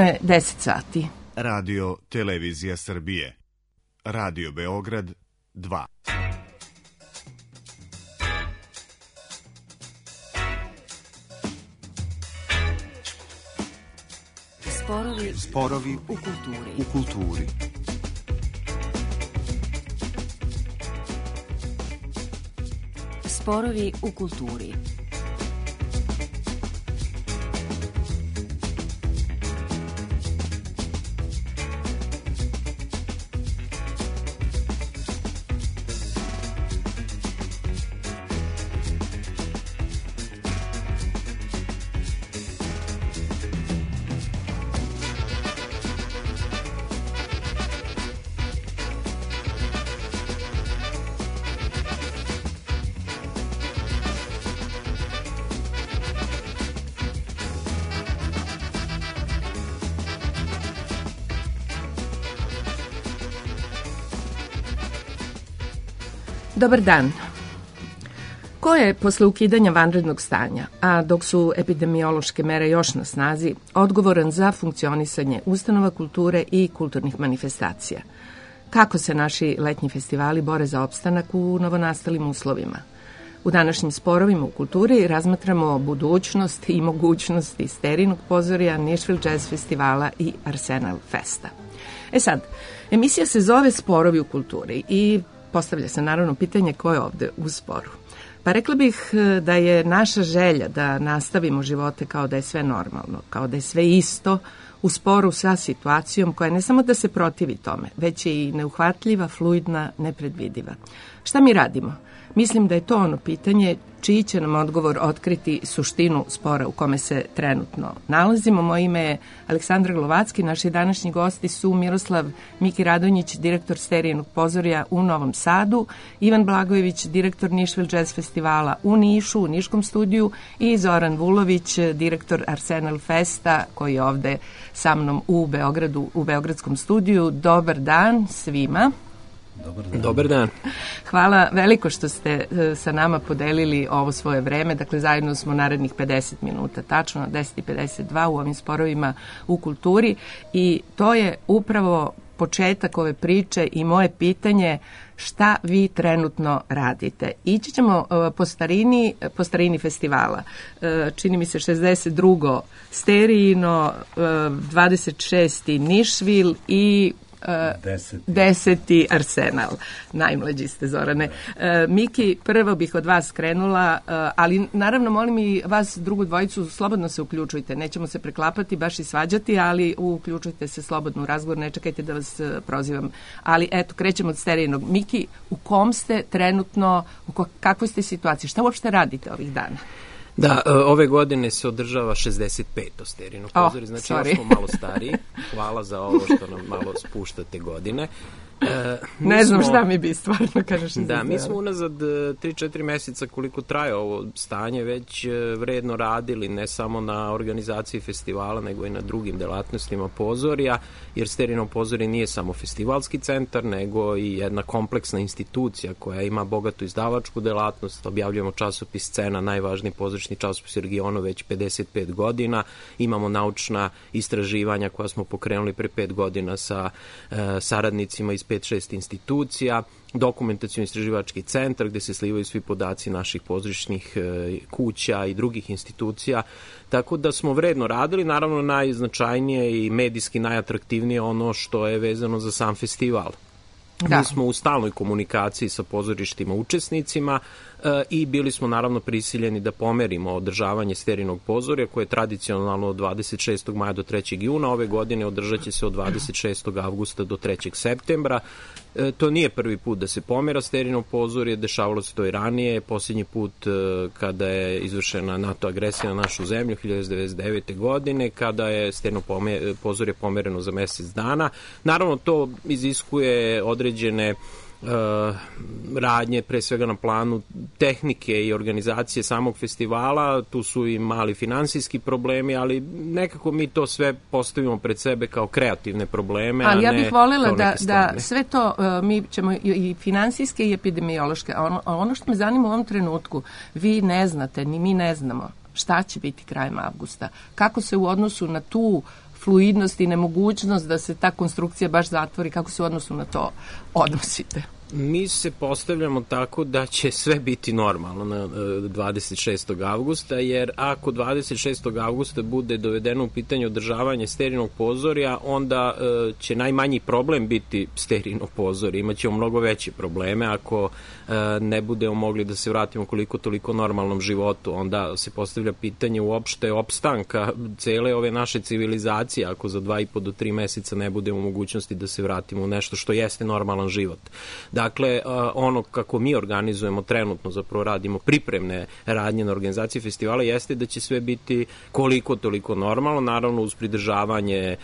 je 10 sati. Radio Televizija Srbije. Radio Beograd 2. Sporovi u kulturi. Sporovi u kulturi. Dobar dan. Ko je posle ukidanja vanrednog stanja, a dok su epidemiološke mere još na snazi, odgovoran za funkcionisanje ustanova kulture i kulturnih manifestacija? Kako se naši letnji festivali bore za opstanak u novonastalim uslovima? U današnjim sporovima u kulturi razmatramo budućnost i mogućnosti Sterinog pozorja, Nišvil Jazz festivala i Arsenal Festa. Sad, emisija se zove Sporovi u kulturi i postavlja se naravno pitanje ko je ovde u sporu. Pa rekla bih da je naša želja da nastavimo živote kao da je sve normalno, kao da je sve isto, u sporu sa situacijom koja ne samo da se protivi tome, već je i neuhvatljiva, fluidna, nepredvidiva. Šta mi radimo? Mislim da je to ono pitanje čiji će nam odgovor otkriti suštinu spora u kome se trenutno nalazimo. Moje ime je Aleksandra Glovacki, naši današnji gosti su Miroslav Miki Radonjić, direktor Sterijenog pozorja u Novom Sadu, Ivan Blagojević, direktor Nišvil Jazz festivala u Nišu, u Niškom studiju i Zoran Vulović, direktor Arsenal Festa koji je ovde sa mnom u Beogradu, u Beogradskom studiju. Dobar dan svima. Dobar dan. Hvala veliko što ste sa nama podelili ovo svoje vreme. Dakle, zajedno smo narednih 50 minuta, tačno 10:52 u ovim sporovima u kulturi i to je upravo početak ove priče i moje pitanje šta vi trenutno radite. Ići ćemo po starini festivala. Čini mi se 62. Sterijino, 26. Nišvil i 10. Arsenal. Najmlađi ste, Zorane. Miki, prvo bih od vas krenula, ali naravno molim i vas drugu dvojicu, slobodno se uključujte. Nećemo se preklapati, baš i svađati, ali uključujte se slobodno u razgovor, ne čekajte da vas prozivam. Ali eto, krećemo od Sterijinog. Miki, u kom ste trenutno, u kakvoj ste situaciji? Šta uopšte radite ovih dana? Da, ove godine se održava 65. Sterijinog pozorja, znači ja smo malo stariji. Hvala za ovo što nam malo spuštate godine. Ne znam šta mi bi stvarno, kažeš. Da, mi smo unazad 3-4 meseca koliko traje ovo stanje već vredno radili, ne samo na organizaciji festivala, nego i na drugim delatnostima pozorja, jer Sterijino pozorje nije samo festivalski centar, nego i jedna kompleksna institucija koja ima bogatu izdavačku delatnost. Objavljujemo časopis Scena, najvažniji pozorišni časopis u regionu već 55 godina. Imamo naučna istraživanja koja smo pokrenuli pre 5 godina sa saradnicima iz 5-6 institucija, dokumentacioni istraživački centar gde se slivaju svi podaci naših pozorišnih kuća i drugih institucija, tako da smo vredno radili. Naravno, najznačajnije i medijski najatraktivnije ono što je vezano za sam festival. Da. Mi smo u stalnoj komunikaciji sa pozorištima učesnicima i bili smo naravno prisiljeni da pomerimo održavanje Sterijinog pozorja koje je tradicionalno od 26. maja do 3. juna. Ove godine održat će se od 26. avgusta do 3. septembra. To nije prvi put da se pomera Sterijino pozorje, dešavalo se to i ranije. Posljednji put kada je izvršena NATO agresija na našu zemlju 1999. godine, kada je Sterijino pozorje pomereno za mesec dana. Naravno, to iziskuje određene radnje, pre svega na planu tehnike i organizacije samog festivala. Tu su i mali finansijski problemi, ali nekako mi to sve postavimo pred sebe kao kreativne probleme, ali a ne ja bih voljela da sve to mi ćemo i finansijske i epidemiološke. Ono što me zanima u ovom trenutku, vi ne znate, ni mi ne znamo šta će biti krajem avgusta. Kako se u odnosu na tu fluidnost i nemogućnost da se ta konstrukcija baš zatvori, kako se u odnosu na to odnosite? Mi se postavljamo tako da će sve biti normalno na 26. avgusta, jer ako 26. avgusta bude dovedeno u pitanje održavanje sterilnog pozorja, onda će najmanji problem biti sterilno pozorje. Imaćemo mnogo veće probleme ako ne budemo mogli da se vratimo koliko toliko normalnom životu. Onda se postavlja pitanje uopšte opstanka cele ove naše civilizacije ako za 2,5 do 3 meseca ne budemo u mogućnosti da se vratimo u nešto što jeste normalan život. Dakle, ono kako mi organizujemo trenutno, zapravo radimo pripremne radnje na organizaciji festivala, jeste da će sve biti koliko toliko normalno, naravno uz pridržavanje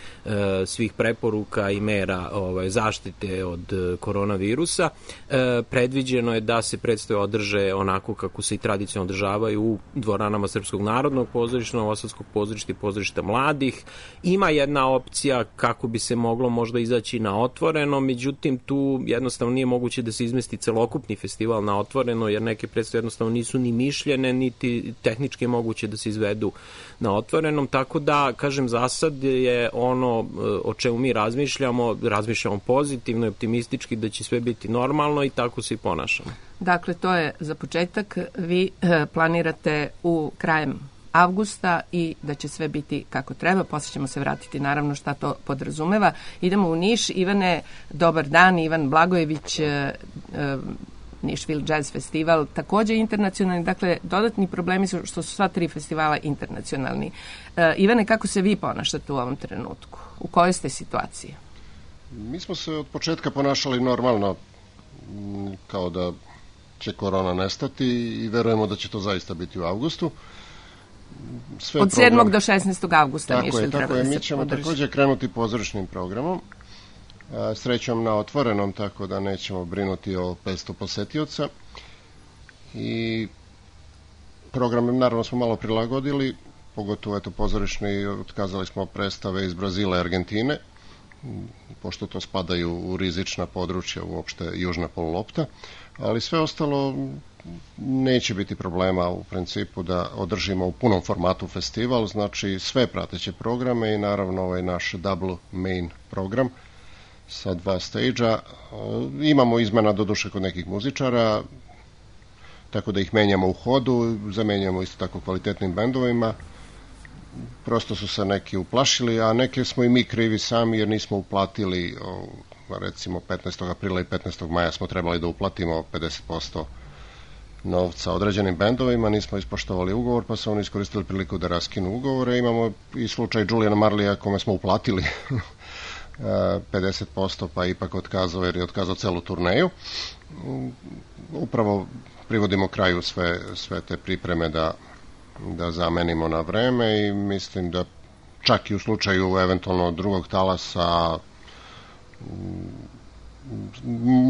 svih preporuka i mera zaštite od koronavirusa. Predviđeno je da se predstave održe onako kako se i tradicionalno održavaju u dvoranama Srpskog narodnog pozorišta, Novosadskog pozorišta i pozorišta mladih. Ima jedna opcija kako bi se moglo možda izaći na otvoreno, međutim tu jednostavno nije moguće da se izmesti celokupni festival na otvoreno, jer neke predstave jednostavno nisu ni mišljene, niti tehnički moguće da se izvedu na otvorenom, tako da, kažem, za sad je ono o čemu mi razmišljamo pozitivno i optimistički da će sve biti normalno i tako se i ponašamo. Dakle, to je za početak. Vi planirate u krajem avgusta i da će sve biti kako treba. Poslije ćemo se vratiti naravno šta to podrazumeva. Idemo u Niš. Ivane, dobar dan. Ivan Blagojević, Nišvil Jazz Festival, takođe internacionalni. Dakle, dodatni problemi su što su sva 3 festivala internacionalni. Ivane, kako se vi ponašate u ovom trenutku? U kojoj ste situaciji? Mi smo se od početka ponašali normalno, kao da će korona nestati i verujemo da će to zaista biti u avgustu. Od 7. do 16. avgusta Nišvil treba da se podrži. Mi ćemo takođe krenuti pozorišnim programom, srećom na otvorenom, tako da nećemo brinuti o 500 posetioca. I program naravno smo malo prilagodili, pogotovo pozorišni, otkazali smo predstave iz Brazila i Argentine, pošto to spadaju u rizična područja, uopšte južna polulopta, ali sve ostalo neće biti problema u principu da održimo u punom formatu festival, znači sve prateće programe i naravno ovaj naš double main program sa 2 stage-a. Imamo izmena doduše kod nekih muzičara, tako da ih menjamo u hodu, zamenjamo isto tako kvalitetnim bendovima. Prosto su se neki uplašili, a neke smo i mi krivi sami jer nismo uplatili, recimo 15. aprila i 15. maja smo trebali da uplatimo 50% novca određenim bendovima, nismo ispoštovali ugovor, pa su oni iskoristili priliku da raskinu ugovore. Imamo i slučaj Juliana Marleya kome smo uplatili 50%, pa ipak otkazao jer je otkazao celu turneju. Upravo privodimo kraju sve te pripreme da zamenimo na vreme i mislim da čak i u slučaju eventualno drugog talasa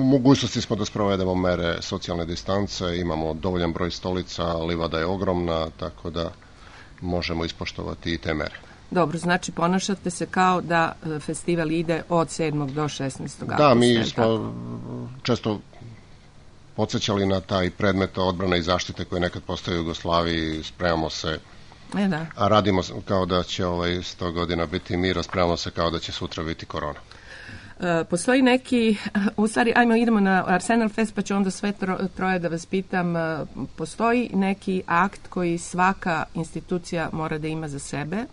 mogućnosti smo da sprovedemo mere socijalne distance, imamo dovoljan broj stolica, livada je ogromna, tako da možemo ispoštovati i te mere. Dobro, znači ponašate se kao da festival ide od 7. do 16. augusta. Da, mi smo često podsjećali na taj predmet odbrane i zaštite koji nekad postoji u Jugoslaviji, spremamo se, a radimo kao da će 100 godina biti mir, a spremamo se kao da će sutra biti korona. Postoji neki, u stvari, idemo na Arsenal Fest, pa ću onda sve troje da vas pitam, postoji neki akt koji svaka institucija mora da ima za sebe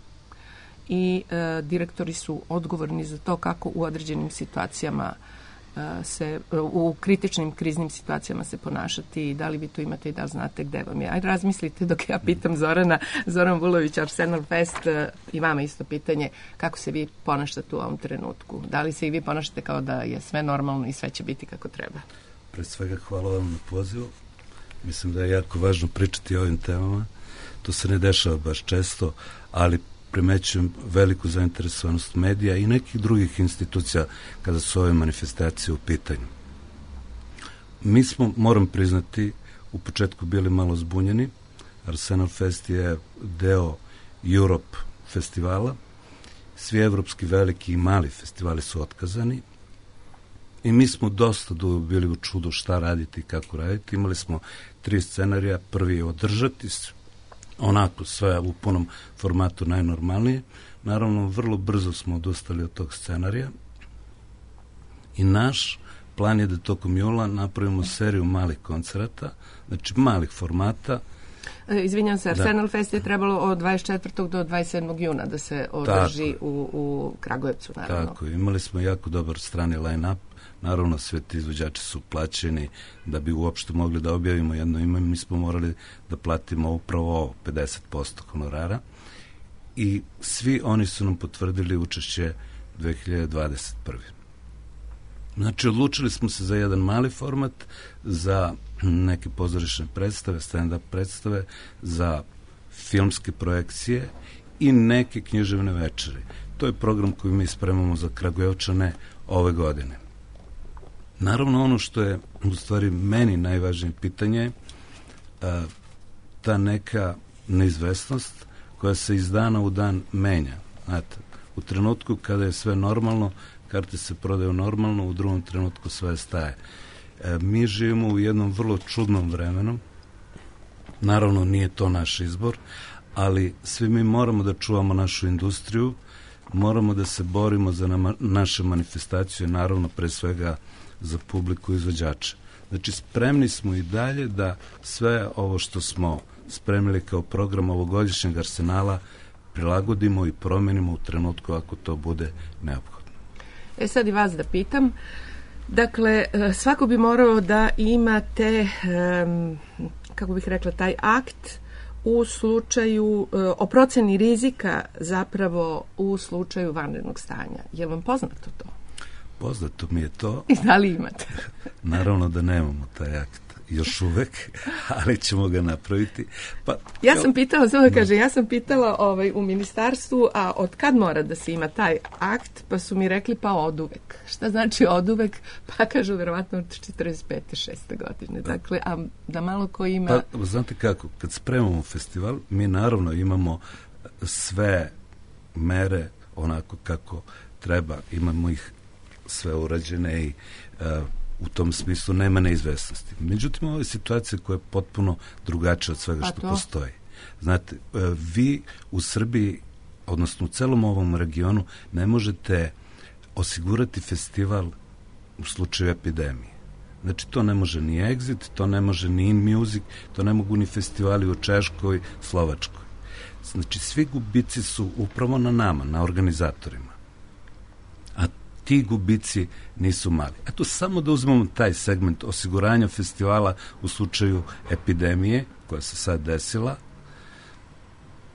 i direktori su odgovorni za to kako u određenim situacijama u kritičnim kriznim situacijama se ponašati i da li vi tu imate i da li znate gde vam je. Ajde razmislite dok ja pitam Zoran Vulović, Arsenal Fest, i vama isto pitanje, kako se vi ponašate u ovom trenutku? Da li se i vi ponašate kao da je sve normalno i sve će biti kako treba? Pre svega hvala vam na pozivu. Mislim da je jako važno pričati o ovim temama. To se ne dešava baš često, ali primećujem veliku zainteresovanost medija i nekih drugih institucija kada su ove manifestacije u pitanju. Mi smo, moram priznati, u početku bili malo zbunjeni. Arsenal Fest je deo Europe festivala. Svi evropski veliki i mali festivali su otkazani i mi smo dosta dugo bili u čudu šta raditi i kako raditi. Imali smo 3 scenarija. Prvi je održati onako sve u punom formatu najnormalnije. Naravno, vrlo brzo smo odustali od tog scenarija i naš plan je da tokom jula napravimo seriju malih koncerata, znači malih formata. Izvinjam se, Arsenal Fest je trebalo od 24. do 27. juna da se održi u Kragujevcu, naravno. Tako, imali smo jako dobar strani line-up. Naravno, sve ti izvođači su plaćeni da bi uopšte mogli da objavimo jedno ime. Mi smo morali da platimo upravo 50% honorara i svi oni su nam potvrdili učešće 2021. Znači, odlučili smo se za jedan mali format, za neke pozorišne predstave, stand-up predstave, za filmske projekcije i neke književne večeri. To je program koji mi spremamo za Kragujevčane ove godine. Naravno, ono što je u stvari meni najvažnije pitanje, ta neka neizvesnost koja se iz dana u dan menja. Znate, u trenutku kada je sve normalno, karte se prodaju normalno, u drugom trenutku sve staje. Mi živimo u jednom vrlo čudnom vremenu. Naravno, nije to naš izbor, ali svi mi moramo da čuvamo našu industriju, moramo da se borimo za naše manifestacije, naravno, pre svega za publiku i izvođače. Znači, spremni smo i dalje da sve ovo što smo spremili kao program ovogodišnjeg Arsenala prilagodimo i promenimo u trenutku ako to bude neophodno. Sad i vas da pitam. Dakle, svako bi morao da imate, kako bih rekla, taj akt u slučaju, o proceni rizika zapravo u slučaju vanrednog stanja. Je li vam poznato to? Poznato mi je to. I da li imate? Naravno da nemamo taj akt još uvek, ali ćemo ga napraviti. Pa, ja sam pitala, samo da kažem, ja sam pitala u ministarstvu, a od kad mora da se ima taj akt, pa su mi rekli pa oduvek. Šta znači oduvek? Pa kažu verovatno od 45. 6. godine. Dakle, a da malo ko ima... Pa, znate kako, kad spremamo festival, mi naravno imamo sve mere onako kako treba, imamo ih sve urađene i u tom smislu nema neizvesnosti. Međutim, ovo je situacija koja je potpuno drugačija od svega što postoji. Znate, vi u Srbiji, odnosno u celom ovom regionu, ne možete osigurati festival u slučaju epidemije. Znači, to ne može ni Exit, to ne može ni In Music, to ne mogu ni festivali u Češkoj, Slovačkoj. Znači, svi gubici su upravo na nama, na organizatorima. A ti gubici nisu mali. Eto, samo da uzmemo taj segment osiguranja festivala u slučaju epidemije koja se sad desila,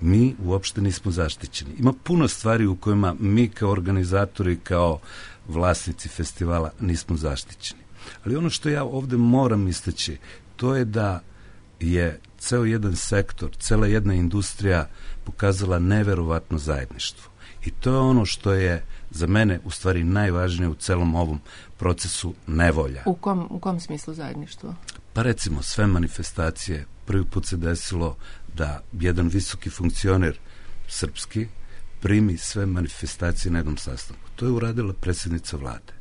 mi uopšte nismo zaštićeni. Ima puno stvari u kojima mi kao organizatori, kao vlasnici festivala nismo zaštićeni. Ali ono što ja ovde moram istaći, to je da je ceo jedan sektor, cela jedna industrija pokazala neverovatno zajedništvo. I to je ono što je za mene u stvari najvažnije u celom ovom procesu nevolja. U kom smislu zajedništvo? Pa recimo, sve manifestacije, prvi put se desilo da jedan visoki funkcioner srpski primi sve manifestacije na jednom sastanku. To je uradila predsjednica vlade.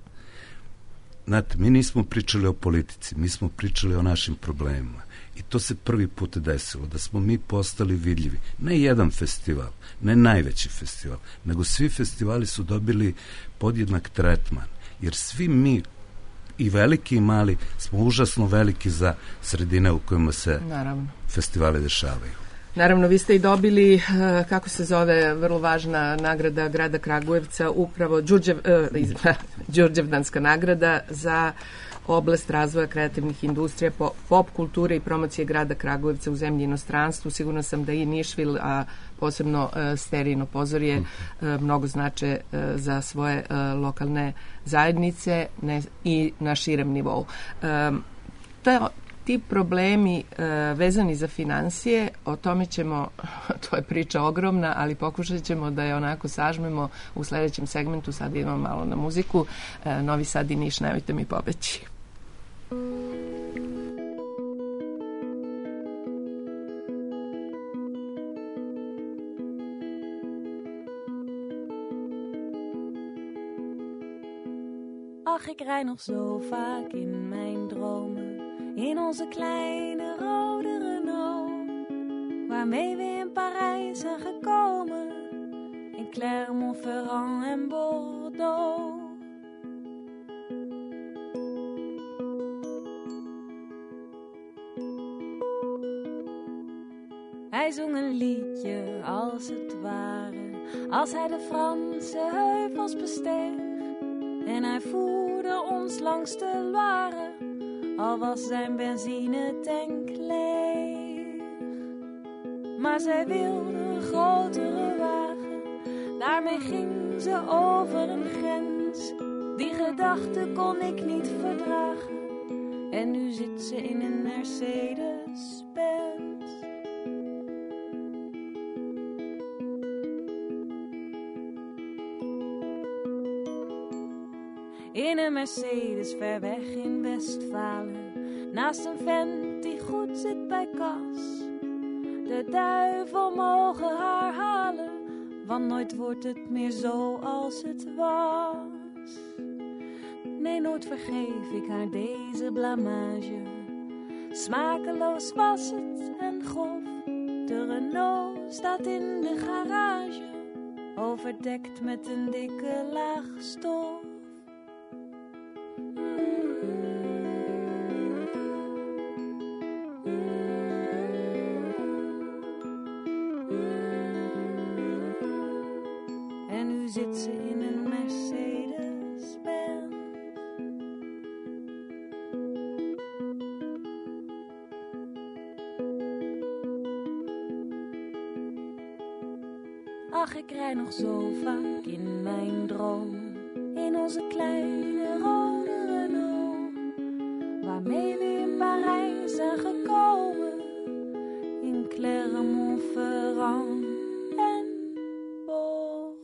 Znate, mi nismo pričali o politici, mi smo pričali o našim problemima. I to se prvi put desilo, da smo mi postali vidljivi. Ne jedan festival, ne najveći festival, nego svi festivali su dobili podjednak tretman. Jer svi mi, i veliki i mali, smo užasno veliki za sredine u kojima se festivali dešavaju. Naravno, vi ste i dobili, kako se zove, vrlo važna nagrada grada Kragujevca, upravo Đurđevdanska nagrada za oblast razvoja kreativnih industrija, pop kulture i promocije grada Kragujevca u zemlji i inostranstvu. Sigurno sam da i Nišvil, a posebno Sterijino pozorje, mnogo znače za svoje lokalne zajednice i na širem nivou. Ti problemi vezani za finansije, o tome ćemo, to je priča ogromna, ali pokušat ćemo da je onako sažmemo u sledećem segmentu. Sad idemo malo na muziku. Novi Sad i Niš, nemojte mi pobeći. Ach, ik rijd nog zo vaak in mijn dromen, in onze kleine rode Renault, waarmee we in Parijs zijn gekomen. Ik in Clermont-Ferrand en Bordeaux. Hij zong een liedje als het ware, als hij de Franse heuvels besteeg. En hij voerde ons langs de Loire, al was zijn benzinetank leeg. Maar zij wilde een grotere wagen, daarmee ging ze over een grens. Die gedachte kon ik niet verdragen, en nu zit ze in een Mercedes-Benz. In een Mercedes ver weg in Westfalen, naast een vent die goed zit bij kas. De duivel mogen haar halen, want nooit wordt het meer zo als het was. Nee, nooit vergeef ik haar deze blamage. Smakeloos was het en grof. De Renault staat in de garage, overdekt met een dikke laag stof. En nu zit ze in een Mercedes-Benz. Ach, ik rij nog zo vaak in mijn dromen, in onze kleine rode Renault, waarmee we in Parijs zijn gekomen, in Clermont-Ferrand en Bordeaux.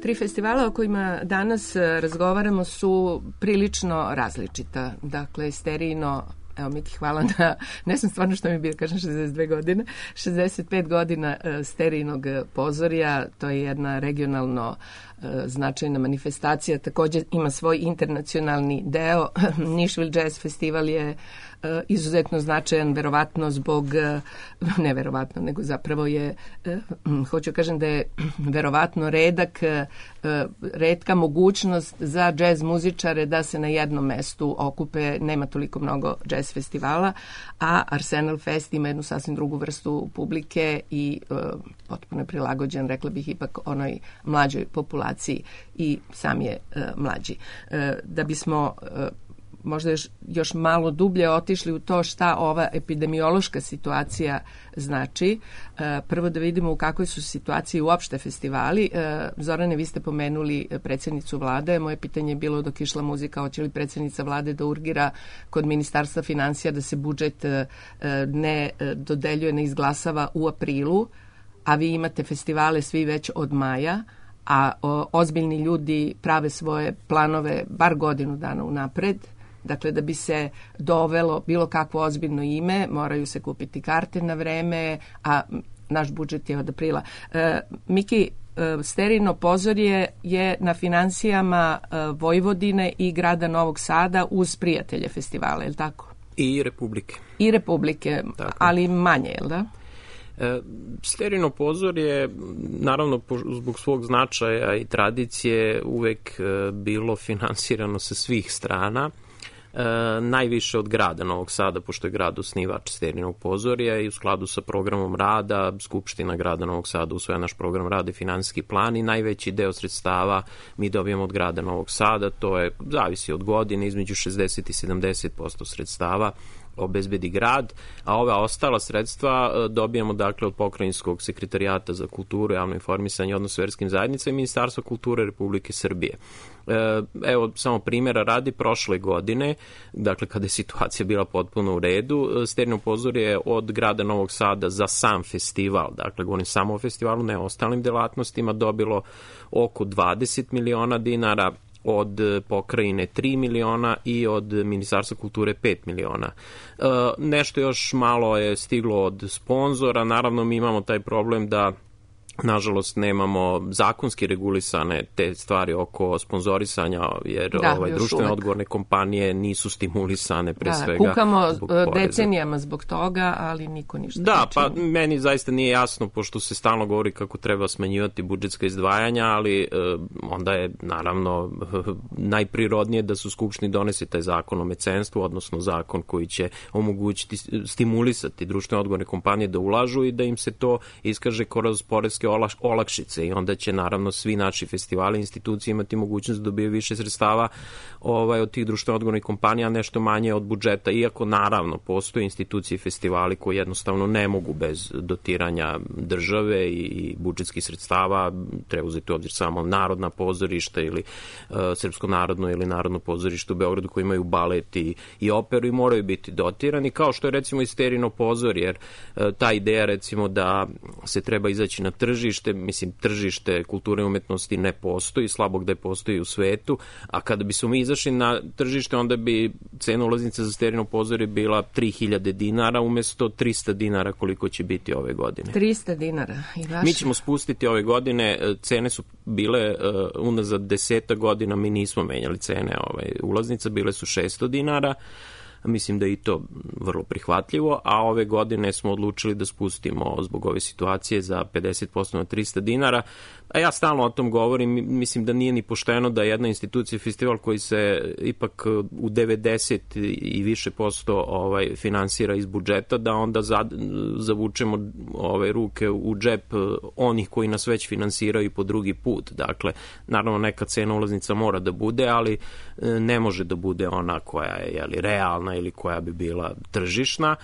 3 festivala o kojima danas razgovaramo su prilično različita. Dakle, Sterijino, evo Miki, hvala na, ne znam stvarno što mi je bilo, kažem 62 godine, 65 godina Sterijinog pozorja, to je jedna regionalno značajna manifestacija, također ima svoj internacionalni deo. Nashville Jazz Festival je izuzetno značajan, verovatno zbog, ne verovatno, nego zapravo je, hoću kažem da je verovatno retka mogućnost za džez muzičare da se na jednom mestu okupe, nema toliko mnogo džez festivala, a Arsenal Fest ima jednu sasvim drugu vrstu publike i potpuno je prilagođen, rekla bih, ipak onoj mlađoj populaciji i sam je mlađi. Da bismo možda još malo dublje otišli u to šta ova epidemiološka situacija znači. Prvo da vidimo u kakvoj su situaciji uopšte festivali. Zorane, vi ste pomenuli predsjednicu vlade. Moje pitanje je bilo dok išla muzika, hoće li predsjednica vlade da urgira kod Ministarstva financija da se budžet ne dodeljuje, ne izglasava u aprilu, a vi imate festivale svi već od maja, a ozbiljni ljudi prave svoje planove bar godinu dana unapred. Dakle, da bi se dovelo bilo kakvo ozbiljno ime, moraju se kupiti karte na vreme, a naš budžet je od aprila. Miki, Sterijino pozorje je na financijama Vojvodine i grada Novog Sada uz prijatelje festivala, je li tako? I Republike. I Republike, tako. Ali manje, je li da? Sterijino pozorje, naravno zbog svog značaja i tradicije, uvek bilo finansirano sa svih strana. Najviše od grada Novog Sada, pošto je grad osnivač Sterijinog pozorja i u skladu sa programom rada, Skupština grada Novog Sada usvaja naš program rada i finansijski plan i najveći deo sredstava mi dobijemo od grada Novog Sada, to je, zavisi od godine, između 60 i 70% sredstava obezbedi grad, a ova ostala sredstva dobijamo dakle od Pokrajinskog sekretarijata za kulturu, javno informisanje i odnos s verskim zajednicama i Ministarstva kulture Republike Srbije. Evo, samo primjera radi, prošle godine, dakle kada je situacija bila potpuno u redu, Sterijino pozorje je od grada Novog Sada za sam festival, dakle govorim samo o festivalu, ne o ostalim delatnostima, dobilo oko 20 miliona dinara, od pokrajine 3 miliona i od Ministarstva kulture 5 miliona. Nešto još malo je stiglo od sponzora, naravno mi imamo taj problem da nažalost nemamo zakonski regulisane te stvari oko sponzorisanja, jer društvene odgovorne kompanije nisu stimulisane pre svega. Kukamo decenijama zbog toga, ali niko ništa ne čini. Pa meni zaista nije jasno, pošto se stalno govori kako treba smanjivati budžetska izdvajanja, ali onda je naravno najprirodnije da se u Skupštini donese taj zakon o mecenstvu, odnosno zakon koji će omogućiti, stimulisati društvene odgovorne kompanije da ulažu i da im se to iskaže kroz poreske olakšice, i onda će naravno svi naši festivali i institucije imati mogućnost da dobiju više sredstava od tih društveno odgovornih kompanija, nešto manje od budžeta, iako naravno postoje institucije i festivali koji jednostavno ne mogu bez dotiranja države i budžetskih sredstava. Treba uzeti u obzir samo Narodna pozorišta ili Srpsko narodno ili Narodno pozorište u Beogradu koji imaju balet i operu i moraju biti dotirani, kao što je recimo i Sterino pozor, jer ta ideja recimo da se treba izaći na tržište, mislim tržište kulture i umetnosti ne postoji, slabo gde postoji u svetu, a kada bi smo mi izašli na tržište, onda bi cena ulaznice za Sterino pozorje bila 3000 dinara umesto 300 dinara koliko će biti ove godine. 300 dinara. Mi ćemo spustiti ove godine, cene su bile unazad 10 godina, mi nismo menjali cene ulaznica, bile su 600 dinara, mislim da je i to vrlo prihvatljivo, a ove godine smo odlučili da spustimo zbog ove situacije za 50% na 300 dinara. A ja stalno o tom govorim, mislim da nije ni pošteno da jedna institucija, festival koji se ipak u 90 i više posto finansira iz budžeta, da onda zavučemo ruke u džep onih koji nas već finansiraju po drugi put. Dakle, naravno neka cena ulaznica mora da bude, ali ne može da bude ona koja je realna ili koja bi bila tržišna,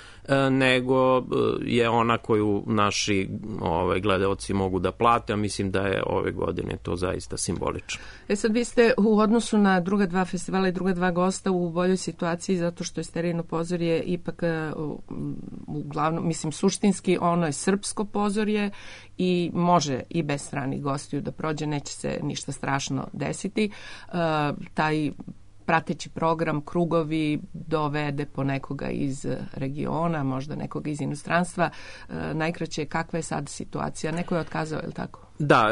nego je ona koju naši gledaoci mogu da plate, a mislim da je ove godine to zaista simbolično. Sad vi ste u odnosu na druga dva festivala i druga dva gosta u boljoj situaciji zato što je Sterino pozorje ipak uglavnom, mislim suštinski ono je srpsko pozorje i može i bez stranih gostiju da prođe, neće se ništa strašno desiti. Taj prateći program, krugovi dovede po nekoga iz regiona, možda nekoga iz inostranstva. Najkraće, kakva je sad situacija? Neko je otkazao, je li tako? Da,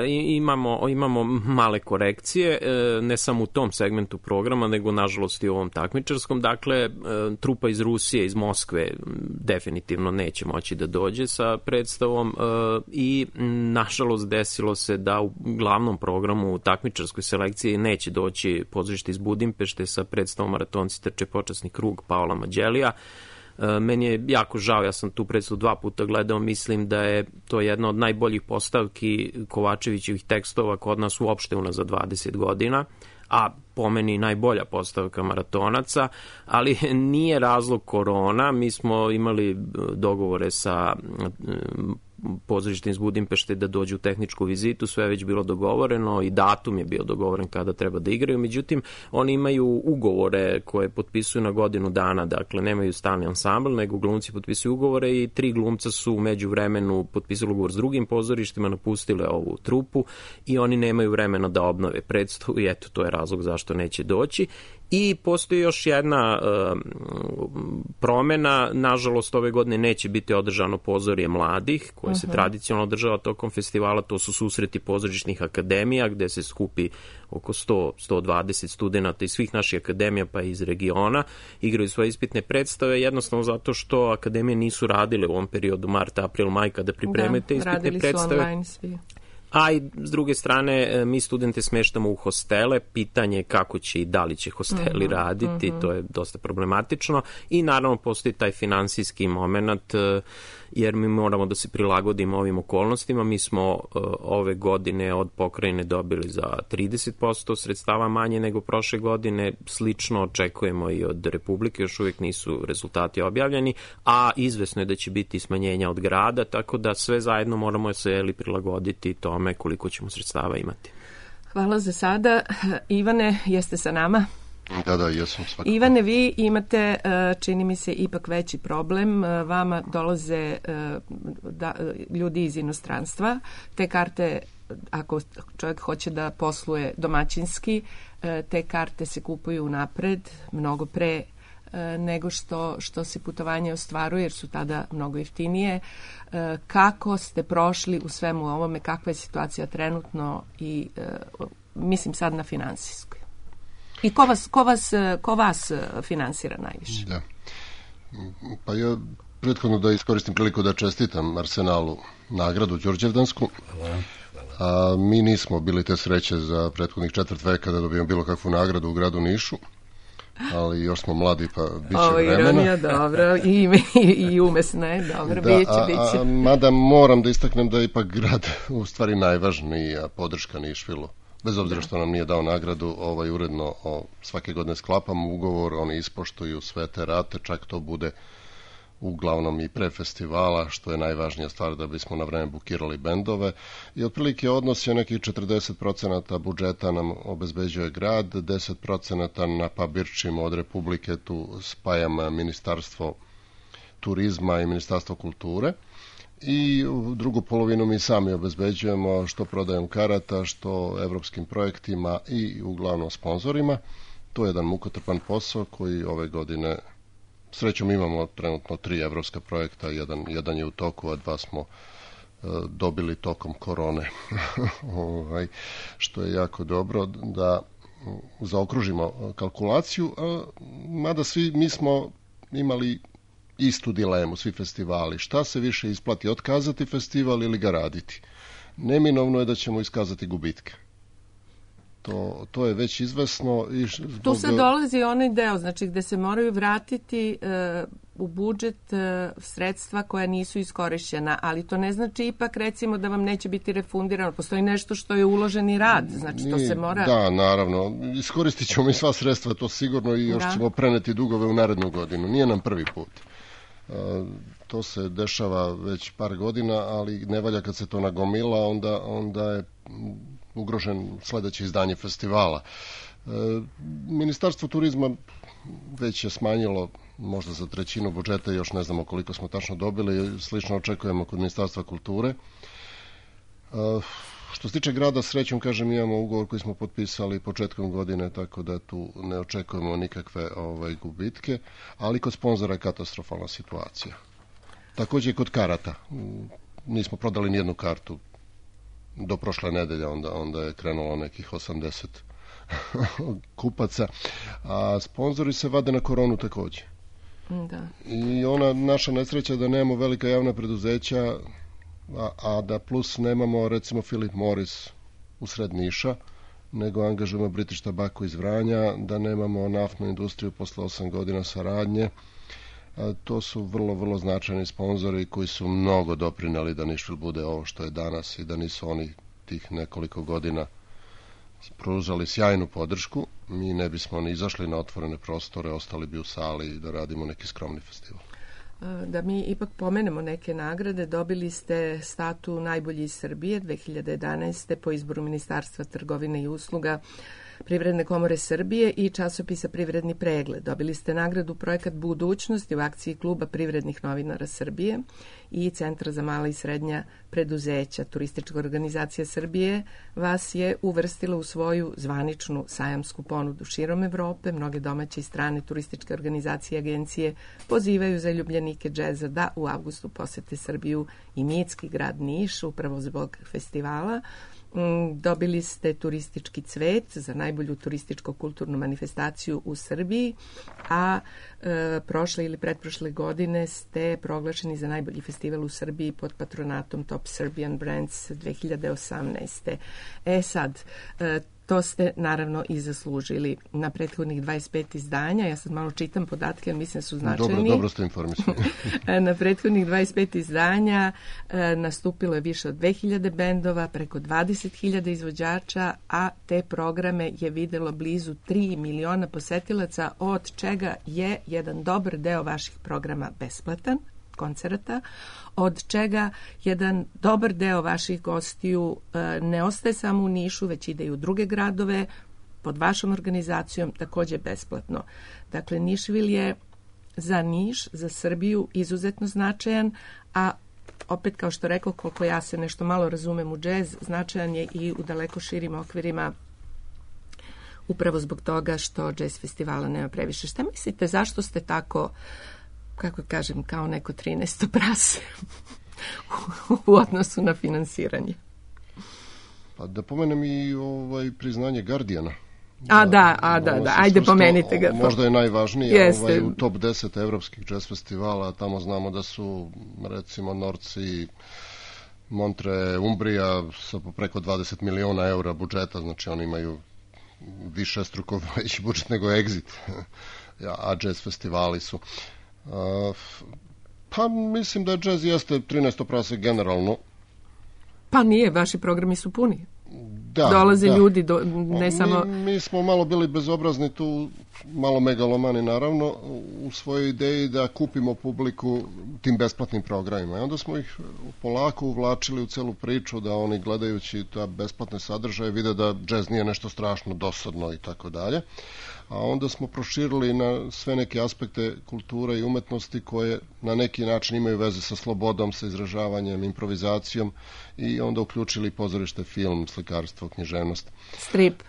imamo male korekcije, ne samo u tom segmentu programa, nego nažalost i u ovom takmičarskom. Dakle, trupa iz Rusije, iz Moskve definitivno neće moći da dođe sa predstavom i nažalost desilo se da u glavnom programu u takmičarskoj selekciji neće doći pozorište iz Budimpešte sa predstavom Maratonci trče počasni krug Paola Mađelija. Meni je jako žao, ja sam tu predstavu 2 puta gledao, mislim da je to jedna od najboljih postavki Kovačevićevih tekstova kod nas uopšte unazad 20 godina, a po meni najbolja postavka maratonaca, ali nije razlog korona. Mi smo imali dogovore sa pozorištem iz Budimpešte da dođu u tehničku vizitu, sve je već bilo dogovoreno i datum je bio dogovoren kada treba da igraju, međutim oni imaju ugovore koje potpisuju na godinu dana, dakle nemaju stalni ansambl, nego glumci potpisuju ugovore i 3 glumca su u međuvremenu potpisali ugovor s drugim pozorištima, napustile ovu trupu i oni nemaju vremena da obnove predstavu i eto to je razlog zašto neće doći. I postoji još jedna promena, nažalost ove godine neće biti održano pozorje mladih, koje se tradicionalno održava tokom festivala, to su susreti pozorišnih akademija, gde se skupi oko 100-120 studenata iz svih naših akademija pa iz regiona, igraju svoje ispitne predstave, jednostavno zato što akademije nisu radile u ovom periodu marta, april, maj, kada pripremite ispitne predstave. Radili su online svi. A i s druge strane, mi studente smeštamo u hostele, pitanje kako će i da li će hosteli raditi, to je dosta problematično i naravno postoji taj finansijski moment, jer mi moramo da se prilagodimo ovim okolnostima. Mi smo ove godine od pokrajine dobili za 30% sredstava manje nego prošle godine, slično očekujemo i od Republike, još uvijek nisu rezultati objavljeni, a izvesno je da će biti smanjenja od grada, tako da sve zajedno moramo se prilagoditi tome koliko ćemo sredstava imati. Hvala za sada. Ivane, jeste sa nama? Da, jesam svakako. Ivane, vi imate, čini mi se, ipak veći problem. Vama dolaze ljudi iz inostranstva. Te karte, ako čovjek hoće da posluje domaćinski, te karte se kupuju napred, mnogo pre nego što se putovanje ostvaruje, jer su tada mnogo jeftinije. Kako ste prošli u svemu ovome, kakva je situacija trenutno i mislim sad na finansijskoj? I ko vas finansira najviše? Da. Pa ja prethodno da iskoristim priliku da čestitam Arsenalu nagradu Đurđevdansku. A mi nismo bili te sreće za prethodnih 4 veka da dobijemo bilo kakvu nagradu u gradu Nišu, ali još smo mladi pa bit će vremena. Ironija, dobro, i umesna je, dobro, biće. Mada moram da istaknem da je ipak grad u stvari najvažnija podrška Nišvilu. Bez obzira što nam nije dao nagradu, uredno svake godine sklapamo ugovor, oni ispoštuju sve te rate, čak to bude uglavnom i pre festivala, što je najvažnija stvar da bismo na vreme bukirali bendove. I otprilike odnos je nekih 40% budžeta nam obezbeđuje grad, 10% na pabirčima od Republike, tu spajam Ministarstvo turizma i Ministarstvo kulture. I drugu polovinu mi sami obezbeđujemo, što prodajom karata, što evropskim projektima i uglavnom sponzorima. To je jedan mukotrpan posao koji ove godine, srećom imamo trenutno 3 evropska projekta, jedan je u toku, a 2 smo dobili tokom korone, što je jako dobro da zaokružimo kalkulaciju, mada svi mi smo imali istu dilemu, svi festivali. Šta se više isplati, otkazati festival ili ga raditi? Neminovno je da ćemo iskazati gubitke. To je već izvesno. Tu se dolazi onaj deo, znači gde se moraju vratiti u budžet sredstva koja nisu iskorišćena, ali to ne znači ipak recimo da vam neće biti refundirano. Postoji nešto što je uloženi rad, znači to se mora... Da, naravno. Iskoristit ćemo mi sva sredstva, to sigurno, i još ćemo preneti dugove u narednu godinu. Nije nam prvi put. To se dešava već par godina, ali ne valja kad se to nagomila, onda je ugrožen sledeće izdanje festivala. Ministarstvo turizma već je smanjilo možda za 1/3 budžeta, još ne znamo koliko smo tačno dobili, slično očekujemo kod Ministarstva kulture. Što se tiče grada, srećom, kažem, imamo ugovor koji smo potpisali početkom godine, tako da tu ne očekujemo nikakve gubitke, ali kod sponzora je katastrofalna situacija. Takođe i kod karata. Nismo prodali nijednu kartu do prošle nedelje, onda je krenulo nekih 80 kupaca, a sponzori se vade na koronu takođe. Da. I ona naša nesreća da nemamo velika javna preduzeća, a da plus nemamo recimo Philip Morris u sred Niša, nego angažujemo British Tobacco iz Vranja, da nemamo naftnu industriju posle 8 godina saradnje. To su vrlo, vrlo značajni sponzori koji su mnogo doprineli da Nišvil bude ovo što je danas i da nisu oni tih nekoliko godina pružali sjajnu podršku. Mi ne bismo ni izašli na otvorene prostore, ostali bi u sali da radimo neki skromni festival. Da mi ipak pomenemo neke nagrade. Dobili ste statu najbolji iz Srbije 2011. po izboru Ministarstva trgovine i usluga, Privredne komore Srbije i časopisa Privredni pregled. Dobili ste nagradu Projekat budućnosti u akciji Kluba privrednih novinara Srbije i Centra za mala i srednja preduzeća. Turistička organizacija Srbije vas je uvrstila u svoju zvaničnu sajamsku ponudu širom Evrope. Mnoge domaće i strane turističke organizacije i agencije pozivaju zaljubljenike džeza da u avgustu posete Srbiju i mitski grad Niš, upravo zbog festivala. Dobili ste turistički cvet za najbolju turističko-kulturnu manifestaciju u Srbiji, a prošle ili pretprošle godine ste proglašeni za najbolji festival u Srbiji pod patronatom Top Serbian Brands 2018. Sad, to ste naravno i zaslužili na prethodnih 25 izdanja. Ja sad malo čitam podatke, ali mislim su značajni. Dobro ste informisani. Na prethodnih 25 izdanja nastupilo je više od 2000 bendova, preko 20.000 izvođača, a te programe je videlo blizu 3 miliona posetilaca, od čega je jedan dobar deo vaših programa besplatan, koncerata, od čega jedan dobar deo vaših gostiju ne ostaje samo u Nišu, već ide i u druge gradove pod vašom organizacijom, takođe besplatno. Dakle, Nišvil je za Niš, za Srbiju izuzetno značajan, a opet, kao što rekao, koliko ja se nešto malo razumem u džez, značajan je i u daleko širim okvirima upravo zbog toga što jazz festivala nema previše. Šta mislite, zašto ste tako, kako kažem, kao neko 13. prase u odnosu na finansiranje? Pa da pomenem i priznanje Guardiana. Da. Ajde, pomenite ga. Možda je najvažnije u top 10 evropskih jazz festivala. Tamo znamo da su, recimo, Norci, Montre, Umbrija sa preko 20 miliona eura budžeta, znači oni imaju više struko veći budžet nego Exit, a jazz festivali su. Pa mislim da jazz jeste 13. prase generalno. Pa nije, vaši programi su puni. Dolaze ljudi, ne samo... Mi smo malo bili bezobrazni tu, malo megalomani naravno, u svojoj ideji da kupimo publiku tim besplatnim programima. I onda smo ih polako uvlačili u celu priču, da oni gledajući ta besplatne sadržaje vide da džez nije nešto strašno dosadno i tako dalje. A onda smo proširili na sve neke aspekte kulture i umetnosti koje na neki način imaju veze sa slobodom, sa izražavanjem, improvizacijom i onda uključili pozorište, film, slikarstvo, književnost. Strip.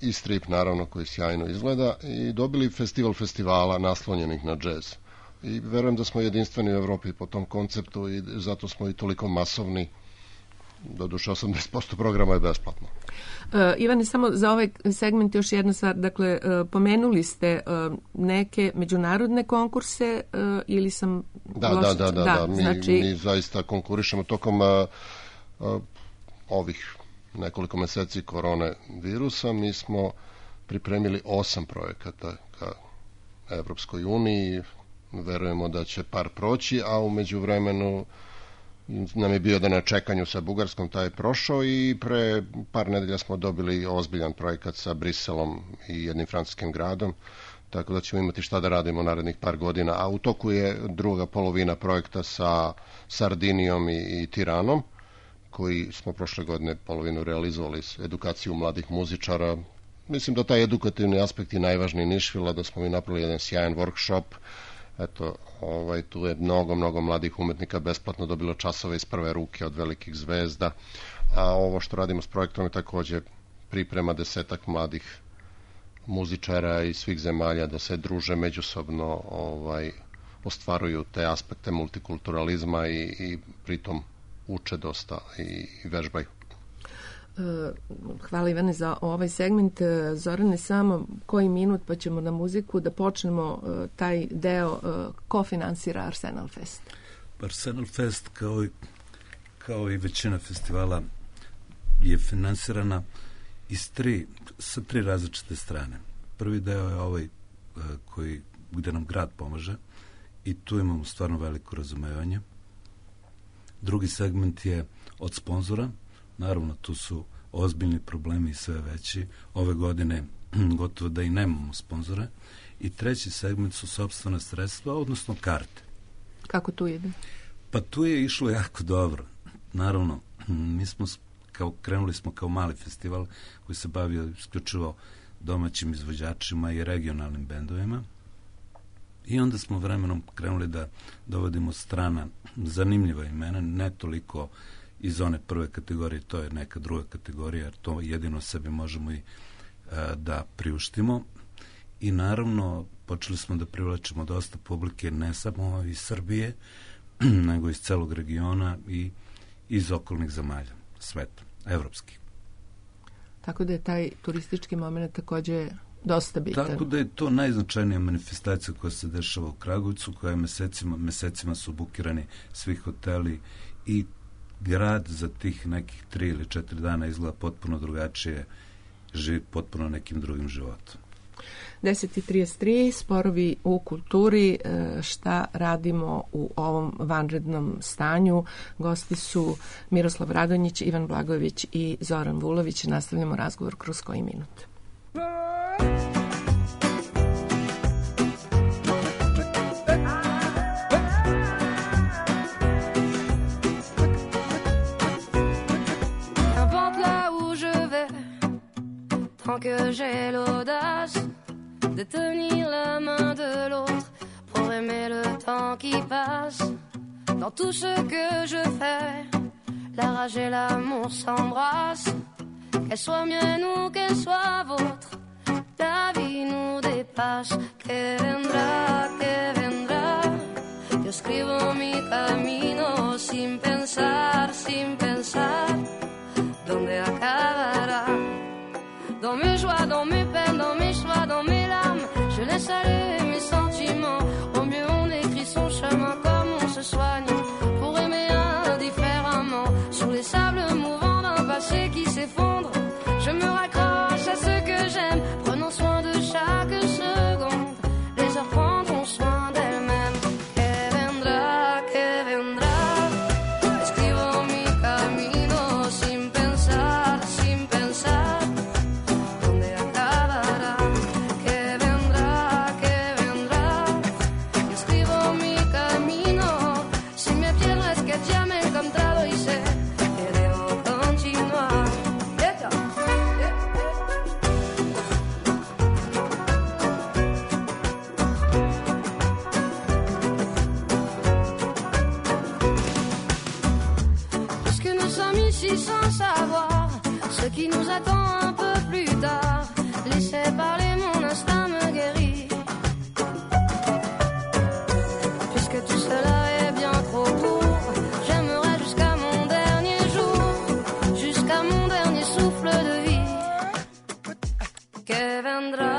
I strip, naravno, koji sjajno izgleda i dobili festival festivala naslonjenih na džez. I verujem da smo jedinstveni u Evropi po tom konceptu i zato smo i toliko masovni. Doduše 80% programa je besplatno. Ivane, samo za ovaj segment još jedna stvar. Dakle, pomenuli ste neke međunarodne konkurse ili sam... Da. Mi zaista konkurišemo tokom ovih nekoliko meseci korone virusa. Mi smo pripremili 8 projekata ka Evropskoj uniji. Verujemo da će par proći, a u međuvremenu nam je bio da na čekanju sa Bugarskom, taj je prošao i pre par nedelja smo dobili ozbiljan projekat sa Briselom i jednim francuskim gradom, tako da ćemo imati šta da radimo narednih par godina, a u toku je druga polovina projekta sa Sardinijom i Tiranom, koji smo prošle godine polovinu realizovali s edukaciju mladih muzičara. Mislim da taj edukativni aspekt je najvažniji Nišvila, da smo mi napravili jedan sjajan workshop. Eto, tu je mnogo mladih umetnika besplatno dobilo časove iz prve ruke od velikih zvezda, a ovo što radimo s projektom je takođe priprema 10 mladih muzičara iz svih zemalja da se druže međusobno, ostvaruju te aspekte multikulturalizma i pritom uče dosta i vežbaju. Hvala Ivane za ovaj segment. Zorane, samo koji minut pa ćemo na muziku da počnemo taj deo. Ko finansira Arsenal Fest? Arsenal Fest kao i većina festivala je finansirana sa tri različite strane. Prvi deo je ovaj gde nam grad pomaže i tu imamo stvarno veliko razumevanje. Drugi segment je od sponzora. Naravno, tu su ozbiljni problemi i sve veći. Ove godine gotovo da i nemamo sponzore. I treći segment su sopstvena sredstva, odnosno karte. Kako tu ide? Pa tu je išlo jako dobro. Naravno, mi smo krenuli smo kao mali festival koji se bavio isključivo domaćim izvođačima i regionalnim bendovima. I onda smo vremenom krenuli da dovodimo strana zanimljiva imena, ne toliko iz one prve kategorije, to je neka druga kategorija, jer to jedino sebi možemo i da priuštimo. I naravno, počeli smo da privlačimo dosta publike, ne samo iz Srbije, nego iz celog regiona i iz okolnih zemalja, sveta, evropskih. Tako da je taj turistički moment takođe dosta bitan. Tako da je to najznačajnija manifestacija koja se dešava u Kragujevcu, koja je mesecima su bukirani svi hoteli i grad za tih nekih 3 ili 4 dana izgleda potpuno drugačije, živi potpuno nekim drugim životom. 10:33, sporovi u kulturi, šta radimo u ovom vanrednom stanju. Gosti su Miroslav Radonjić, Ivan Blagojević i Zoran Vulović. Nastavljamo razgovor kroz koji minut. Tant que j'ai l'audace de tenir la main de l'autre pour aimer le temps qui passe. Dans tout ce que je fais, la rage et l'amour s'embrassent. Qu'elle soit mienne ou qu'elle soit vôtre, passe, que vendrá, que vendrá. Yo escribo mi camino sin pensar, dónde acabará. Dans mes joies, dans mes peines, dans mes choix, dans mes larmes, je laisse aller mes sentiments. Au mieux on écrit son chemin comme on se soigne, pour aimer indifféremment. Sur les sables mouvants d'un passé qui s'effondre, je me raccroche à ce que j'aime, prenant soin de chaque seconde. Les heures prendront soin d'elles-mêmes. Que vendrá, escribo mi camino sin pensar, dónde acabará. Que vendrá, yo escribo mi camino. Si me pierdo es que ya me he encontrado y sé que debo continuar. Puisque nous sommes ici sans savoir ce qui nous attend un peu plus tard, laissez parler, mon instinct me guérit. Puisque tout cela est bien trop court, j'aimerais jusqu'à mon dernier jour, jusqu'à mon dernier souffle de vie. Que vendrá,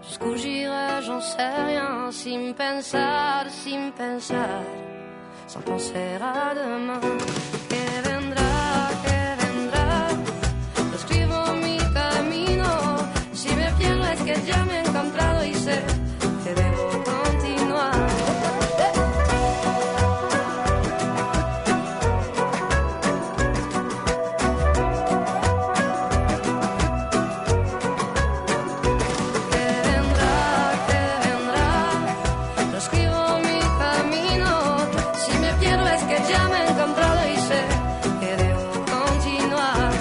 jusqu'où j'irai, j'en sais rien, sin pensar, sans penser à demain. Que vendrá, yo escribo mi camino. Si me pierdo es que ya me he encontrado y sé que debo continuar. Que vendrá, yo escribo mi camino. Si me pierdo es que ya me he encontrado y sé que debo continuar.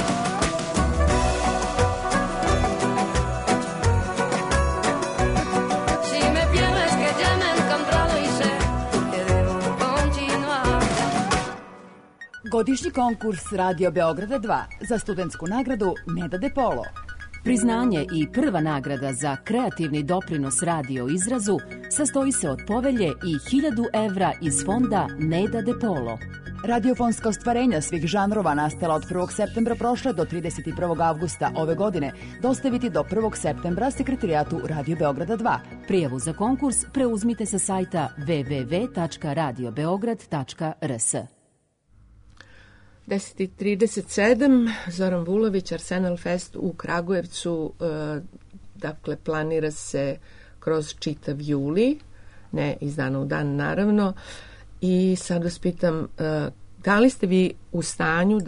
Si me pierdo es que ya me he encontrado y sé que debo continuar. Godišnji konkurs Radio Beograda 2 za studentsku nagradu Neda De Polo. Priznanje i prva nagrada za kreativni doprinos radio izrazu sastoji se od povelje i 1000 evra iz fonda Neda De Polo. Radiofonska ostvarenja svih žanrova nastala od 1. septembra prošle do 31. avgusta ove godine dostaviti do 1. septembra sekretarijatu Radio Beograda 2. Prijavu za konkurs preuzmite sa sajta www.radiobeograd.rs. 10:37, Zoran Vulović, Arsenal Fest u Kragujevcu, dakle planira se kroz čitav juli, ne iz dana u dan naravno, i sad vas pitam, da li ste vi u stanju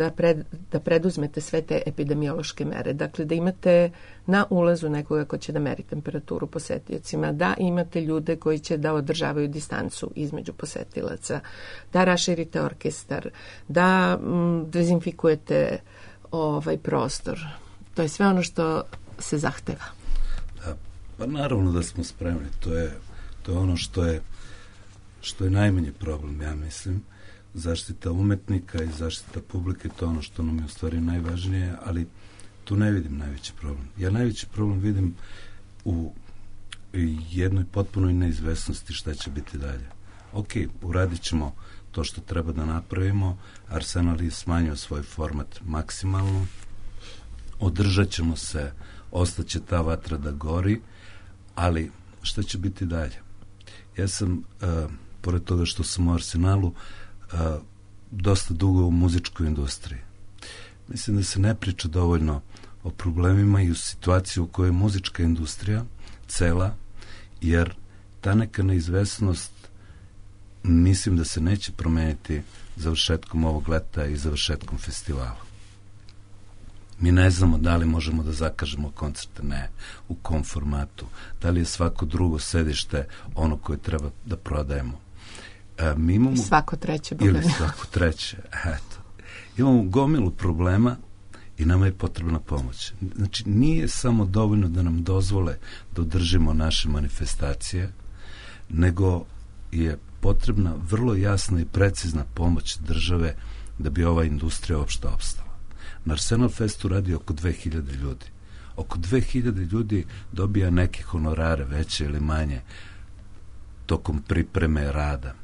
da preduzmete sve te epidemiološke mere, dakle da imate na ulazu nekoga ko će da meri temperaturu posetiocima, da imate ljude koji će da održavaju distancu između posetilaca, da raširite orkestar, da dezinfikujete prostor. To je sve ono što se zahteva. Da, pa naravno da smo spremni. To je ono što je najmanji problem, ja mislim. Zaštita umetnika i zaštita publike, to je ono što nam je u stvari najvažnije, ali tu ne vidim najveći problem. Ja najveći problem vidim u jednoj potpunoj neizvesnosti šta će biti dalje. Ok, uradit ćemo to što treba da napravimo, Arsenal je smanjio svoj format maksimalno, održat ćemo se, ostaće ta vatra da gori, ali šta će biti dalje? Ja sam, pored toga što sam u Arsenalu, dosta dugo u muzičkoj industriji. Mislim da se ne priča dovoljno o problemima i u situaciji u kojoj je muzička industrija cela, jer ta neka neizvesnost mislim da se neće promeniti završetkom ovog leta i završetkom festivala. Mi ne znamo da li možemo da zakažemo koncerte, ne, u kom formatu, da li je svako drugo sedište ono koje treba da prodajemo. Mi imamo, svako treće. Ili svako treće, eto. Imamo gomilu problema i nama je potrebna pomoć. Znači, nije samo dovoljno da nam dozvole da održimo naše manifestacije, nego je potrebna vrlo jasna i precizna pomoć države da bi ova industrija uopšte opstala. Na Arsenal Festu radi oko 2000 ljudi. oko 2000 ljudi dobija neke honorare, veće ili manje, tokom pripreme rada.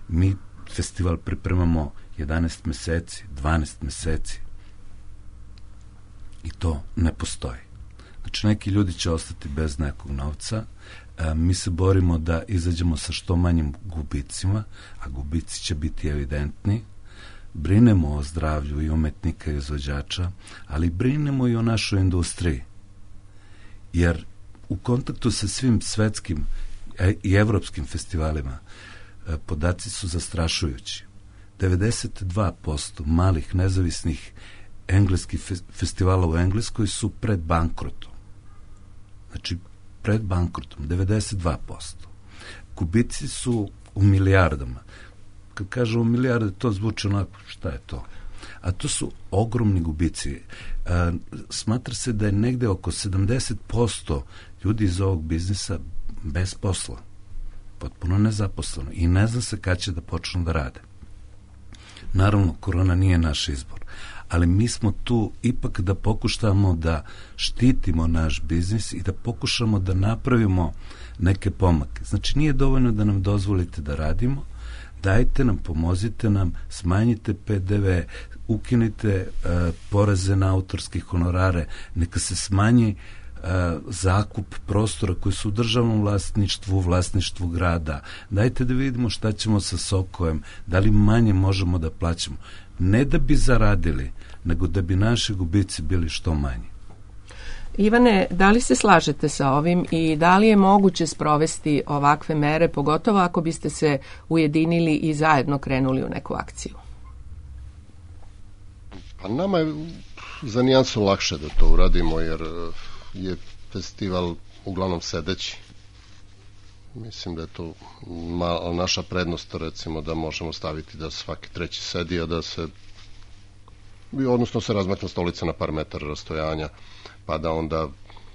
Mi festival pripremamo 11 meseci, 12 meseci i to ne postoji. Znači, neki ljudi će ostati bez nekog novca. Mi se borimo da izađemo sa što manjim gubicima, a gubici će biti evidentni. Brinemo o zdravlju i umetnika i izvođača, ali brinemo i o našoj industriji. Jer u kontaktu sa svim svetskim i evropskim festivalima podaci su zastrašujući. 92% malih nezavisnih engleskih festivala u Engleskoj su pred bankrotom. Znači, pred bankrotom, 92%. Gubici su u milijardama. Kad kažemo milijarde, to zvuči onako, šta je to? A to su ogromni gubici. Smatra se da je negde oko 70% ljudi iz ovog biznisa bez posla. Potpuno nezaposleno. I ne zna se kad će da počnu da rade. Naravno, korona nije naš izbor. Ali mi smo tu ipak da pokušamo da štitimo naš biznis i da pokušamo da napravimo neke pomake. Znači, nije dovoljno da nam dozvolite da radimo, dajte nam, pomozite nam, smanjite PDV, ukinite poreze na autorske honorare, neka se smanji zakup prostora koji su u državnom vlasništvu grada. Dajte da vidimo šta ćemo sa Sokojem, da li manje možemo da plaćamo. Ne da bi zaradili, nego da bi naši gubici bili što manji. Ivane, da li se slažete sa ovim i da li je moguće sprovesti ovakve mere, pogotovo ako biste se ujedinili i zajedno krenuli u neku akciju? Pa nama je za nijansu lakše da to uradimo, jer je festival uglavnom sedeći. Mislim da je to naša prednost, recimo, da možemo staviti da svaki treći sedi, a da se odnosno se razmetna stolica na par metara rastojanja, pa da onda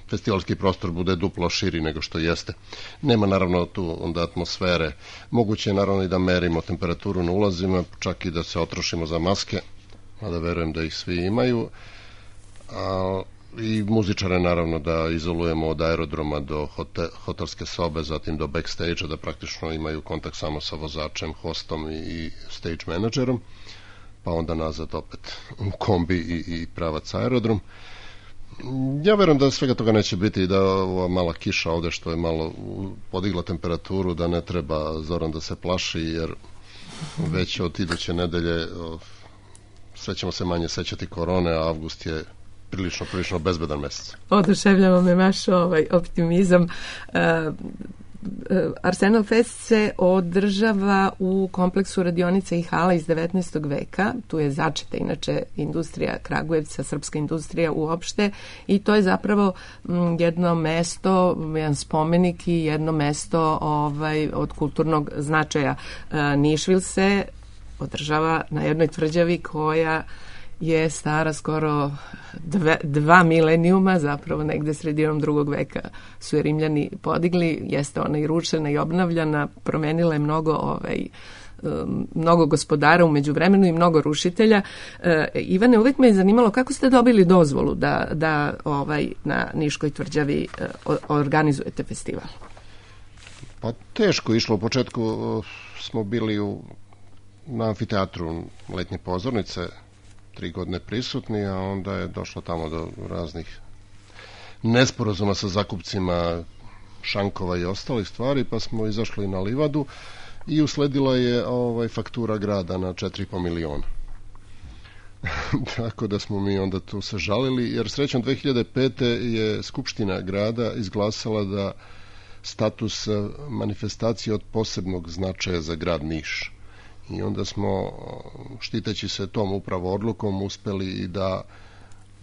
festivalski prostor bude duplo širi nego što jeste. Nema naravno tu onda atmosfere. Moguće je naravno i da merimo temperaturu na ulazima, čak i da se otrošimo za maske, mada verujem da ih svi imaju. I muzičare naravno da izolujemo od aerodroma do hotelske sobe, zatim do backstage-a, da praktično imaju kontakt samo sa vozačem, hostom i stage menadžerom, pa onda nazad opet u kombi i pravac aerodrom. Ja verujem da svega toga neće biti i da ova mala kiša ovde što je malo podigla temperaturu, da ne treba Zoran da se plaši, jer već od iduće nedelje sve ćemo se manje sećati korone, a avgust je prilično bezbedan mesec. Oduševljava me vaš optimizam. Arsenal Fest se održava u kompleksu radionica i hala iz 19. veka. Tu je začeta inače industrija Kragujevca, srpska industrija uopšte, i to je zapravo jedno mesto, jedan spomenik i jedno mesto od kulturnog značaja. Nišvil se održava na jednoj tvrđavi koja je stara skoro 2 milenijuma, zapravo negde sredinom 2. veka su je Rimljani podigli, jeste ona i rušena i obnavljana, promenila je mnogo gospodara u međuvremenu i mnogo rušitelja. Ivane, uvek me je zanimalo kako ste dobili dozvolu da na Niškoj tvrđavi organizujete festival? Pa teško išlo. U početku smo bili na amfiteatru letnje pozornice, 3 godine prisutni, a onda je došlo tamo do raznih nesporazuma sa zakupcima šankova i ostalih stvari, pa smo izašli na livadu i usledila je faktura grada na 4,5 miliona. Tako da smo mi onda tu se žalili, jer srećom 2005. je Skupština grada izglasala da status manifestacije od posebnog značaja za grad Niš. I onda smo, štiteći se tom upravo odlukom, uspeli i da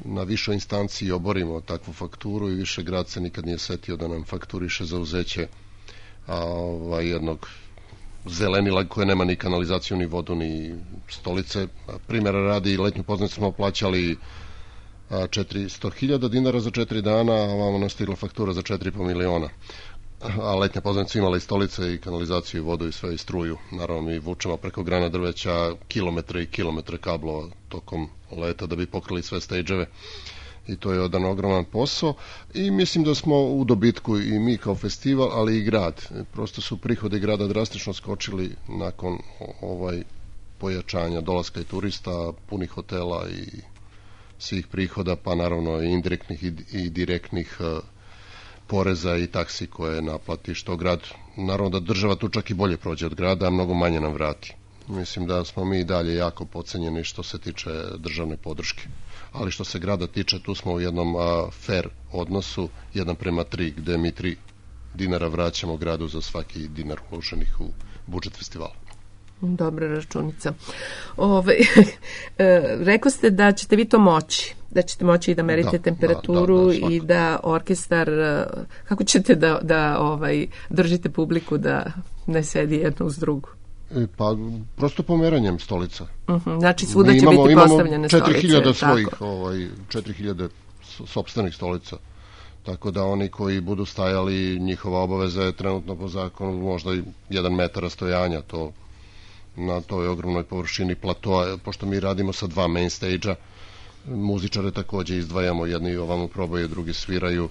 na višoj instanciji oborimo takvu fakturu i više grad se nikad nije setio da nam fakturiše za uzeće jednog zelenila koje nema ni kanalizaciju, ni vodu, ni stolice. Primjera radi, letnju pozornicu smo plaćali 400.000 dinara za 4 dana, a ovamo nam stigla faktura za 4,5 miliona. A letnja pozornica imala i stolice i kanalizaciju i vodu i sve i struju. Naravno, mi vučemo preko grana drveća kilometre i kilometre kablova tokom leta da bi pokrili sve stage-eve. i to je jedan ogroman posao i mislim da smo u dobitku i mi kao festival, ali i grad. Prosto su prihodi grada drastično skočili nakon pojačanja dolaska i turista, punih hotela i svih prihoda, pa naravno i indirektnih i direktnih poreza i taksi koje naplati, što grad, naravno da država tu čak i bolje prođe od grada, a mnogo manje nam vrati. Mislim da smo mi dalje jako podcenjeni što se tiče državne podrške. Ali što se grada tiče, tu smo u jednom fair odnosu 1:3, gde mi 3 dinara vraćamo gradu za svaki dinar uloženih u budžet festivala. Dobra računica. Rekao ste da ćete vi to moći, da ćete moći i da merite temperaturu i da orkestar, kako ćete da držite publiku da ne sedi jedno uz drugu? Pa, prosto pomeranjem stolica. Znači, svuda će biti postavljene stolice. 4000 svojih, 4000 sopstvenih stolica. Tako da oni koji budu stajali, njihova obaveza je trenutno po zakonu možda i 1 metar rastojanja, to na toj ogromnoj površini platoa, pošto mi radimo sa 2 main stage-a, muzičare takođe izdvajamo, jedni ovamo probaju, drugi sviraju.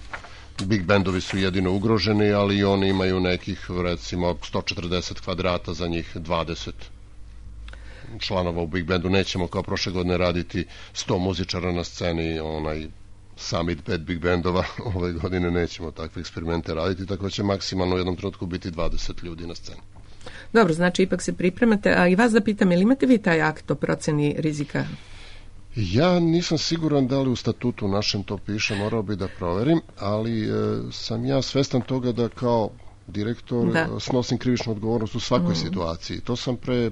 Big bandovi su jedino ugroženi, ali oni imaju nekih, recimo, 140 kvadrata, za njih 20 članova u big bandu. Nećemo kao prošle godine raditi 100 muzičara na sceni, summit 5 big bandova, ove godine nećemo takve eksperimente raditi, tako će maksimalno u jednom trenutku biti 20 ljudi na sceni. Dobro, znači ipak se pripremate, a i vas da pitam, ili imate vi taj akt o proceni rizika? Ja nisam siguran da li u statutu našem to piše, morao bi da proverim, ali sam ja svestan toga da kao direktor snosim krivičnu odgovornost u svakoj situaciji. To sam pre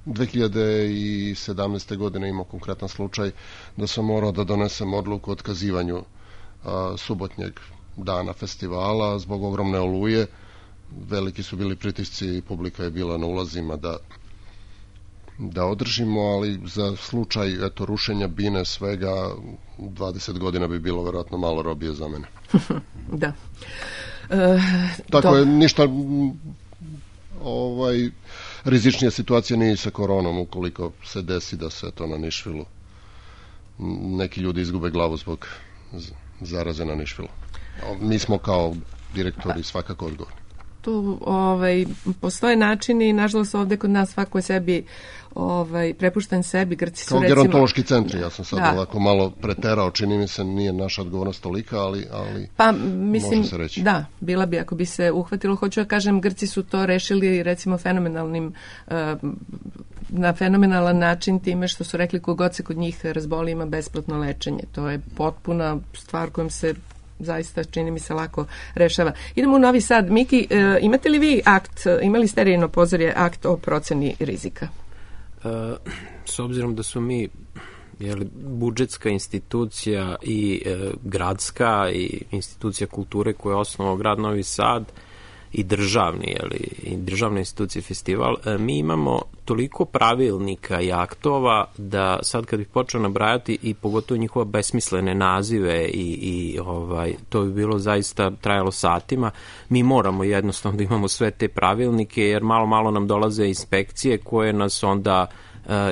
2017. godine imao konkretan slučaj da sam morao da donesem odluku o otkazivanju subotnjeg dana festivala zbog ogromne oluje. Veliki su bili pritisci, publika je bila na ulazima da održimo, ali za slučaj rušenja bine svega 20 godina bi bilo verovatno malo robije za mene. Da. Tako je, ništa rizičnija situacija nije sa koronom, ukoliko se desi da se to na Nišvilu neki ljudi izgube glavu zbog zaraze na Nišvilu. Mi smo kao direktori svakako odgovorni. Tu postoje načini i nažalost ovde kod nas svako je sebi prepušten sebi. Grci su kao gerontološki centri, ja sam sad ovako malo preterao, čini mi se nije naša odgovornost tolika, ali pa, mislim, može se reći. Da, bila bi ako bi se uhvatilo. Hoću da kažem, Grci su to rešili recimo na fenomenalan način time što su rekli kogod se kod njih razboli ima besplatno lečenje. To je potpuna stvar kojom se zaista, čini mi se, lako rešava. Idemo u Novi Sad. Miki, imate li vi imali ste Rejno pozorje akt o proceni rizika? S obzirom da su mi budžetska institucija i gradska i institucija kulture koja je osnovao grad Novi Sad i državne institucije festival, mi imamo toliko pravilnika i aktova da sad kad bih počeo nabrajati i pogotovo njihova besmislene nazive i to bi bilo zaista trajalo satima. Mi moramo jednostavno da imamo sve te pravilnike jer malo nam dolaze inspekcije koje nas onda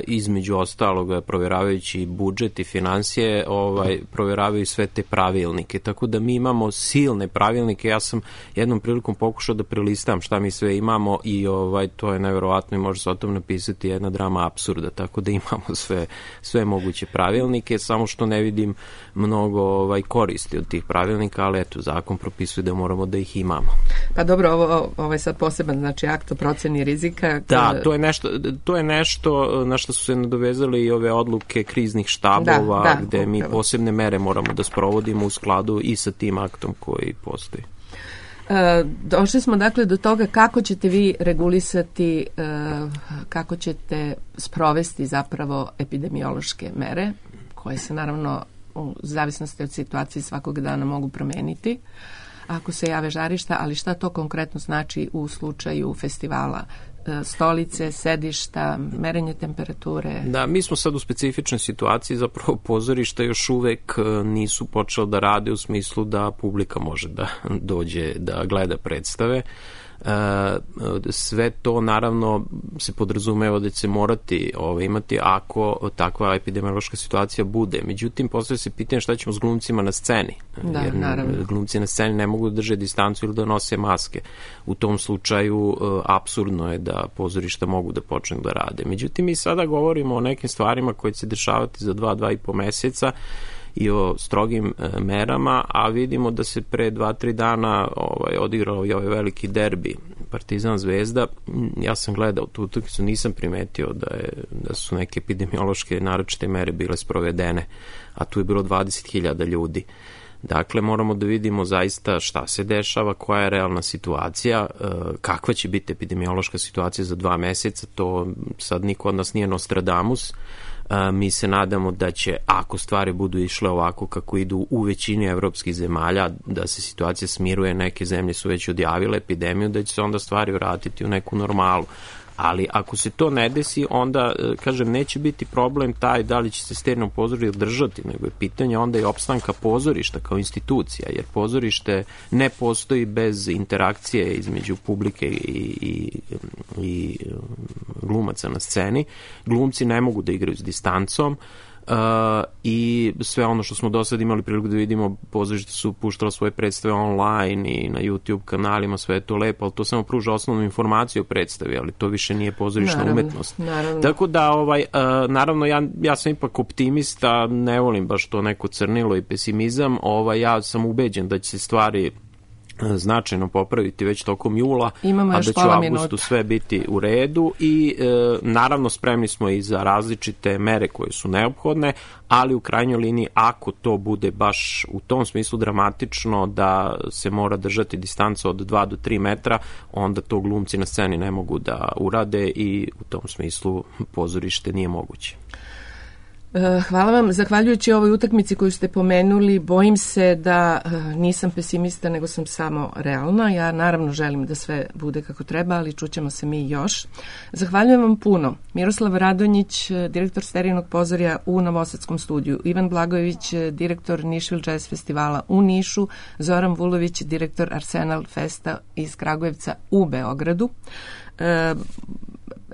između ostalog provjeravajući budžet i financije provjeravaju sve te pravilnike, tako da mi imamo silne pravilnike. Ja sam jednom prilikom pokušao da prelistam šta mi sve imamo i to je neverovatno i može se o tom napisati jedna drama apsurda, tako da imamo sve moguće pravilnike, samo što ne vidim mnogo koristi od tih pravilnika, ali eto, zakon propisuje da moramo da ih imamo. Pa dobro, ovo je sad poseban, znači akt o proceni rizika. Da, to je nešto na što su se nadovezali i ove odluke kriznih štabova, gde mi posebne mere moramo da sprovodimo u skladu i sa tim aktom koji postoji. Došli smo dakle do toga kako ćete vi regulisati, kako ćete sprovesti zapravo epidemiološke mere, koje se naravno u zavisnosti od situacije svakog dana mogu promeniti ako se jave žarišta, ali šta to konkretno znači u slučaju festivala? Stolice, sedišta, merenje temperature. Da, mi smo sad u specifičnoj situaciji, zapravo pozorišta još uvek nisu počela da rade u smislu da publika može da dođe da gleda predstave. Sve to naravno se podrazumeva da će se morati imati ako takva epidemiološka situacija bude. Međutim, postavlja se pitanje šta ćemo s glumcima na sceni. Jer glumci na sceni ne mogu da drže distancu ili da nose maske. U tom slučaju apsurdno je da pozorišta mogu da počnu da rade. Međutim, mi sada govorimo o nekim stvarima koje će se dešavati za 2,5 meseca i o strogim merama, a vidimo da se pre 2-3 dana odigrao i ovaj veliki derbi Partizan Zvezda. Ja sam gledao tu utakmicu, nisam primetio da su neke epidemiološke naročite mere bile sprovedene, a tu je bilo 20.000 ljudi. Dakle, moramo da vidimo zaista šta se dešava, koja je realna situacija, kakva će biti epidemiološka situacija za 2 meseca, to sad niko od nas nije Nostradamus. Mi se nadamo da će, ako stvari budu išle ovako kako idu u većini evropskih zemalja, da se situacija smiruje, neke zemlje su već odjavile epidemiju, da će se onda stvari vratiti u neku normalu. Ali ako se to ne desi, onda, kažem, neće biti problem taj da li će se Sterijino pozorište održati, nego je pitanje onda i opstanka pozorišta kao institucija, jer pozorište ne postoji bez interakcije između publike i glumaca na sceni. Glumci ne mogu da igraju s distancom, i sve ono što smo do sada imali priliku da vidimo, pozorište su puštala svoje predstave online i na YouTube kanalima, sve je to lepo, ali to samo pruža osnovnu informaciju o predstavi, ali to više nije pozorišna umetnost. Tako da, naravno, ja sam ipak optimista, ne volim baš to neko crnilo i pesimizam, ja sam ubeđen da će se stvari značajno popraviti već tokom jula, a da će u avgustu sve biti u redu i naravno spremni smo i za različite mere koje su neophodne, ali u krajnjoj liniji ako to bude baš u tom smislu dramatično da se mora držati distanca od 2 do 3 metra, onda to glumci na sceni ne mogu da urade i u tom smislu pozorište nije moguće. Hvala vam. Zahvaljujući ovoj utakmici koju ste pomenuli, bojim se da nisam pesimista, nego sam samo realna. Ja naravno želim da sve bude kako treba, ali čućemo se mi još. Zahvaljujem vam puno. Miroslav Radonjić, direktor Sterijinog pozorja u Novosadskom studiju, Ivan Blagojević, direktor Nišvil Jazz festivala u Nišu, Zoran Vulović, direktor Arsenal Festa iz Kragujevca u Beogradu.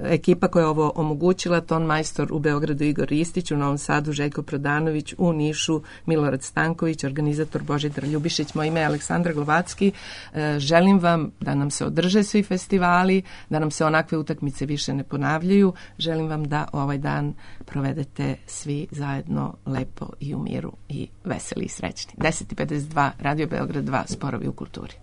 Ekipa koja je ovo omogućila, ton majstor u Beogradu Igor Ristić, u Novom Sadu Željko Prodanović, u Nišu Milorad Stanković, organizator Božidar Ljubišić, moje ime je Aleksandra Glovacki. Želim vam da nam se održe svi festivali, da nam se onakve utakmice više ne ponavljaju. Želim vam da ovaj dan provedete svi zajedno lepo i u miru i veseli i srećni. 10:52, Radio Beograd 2, Sporovi u kulturi.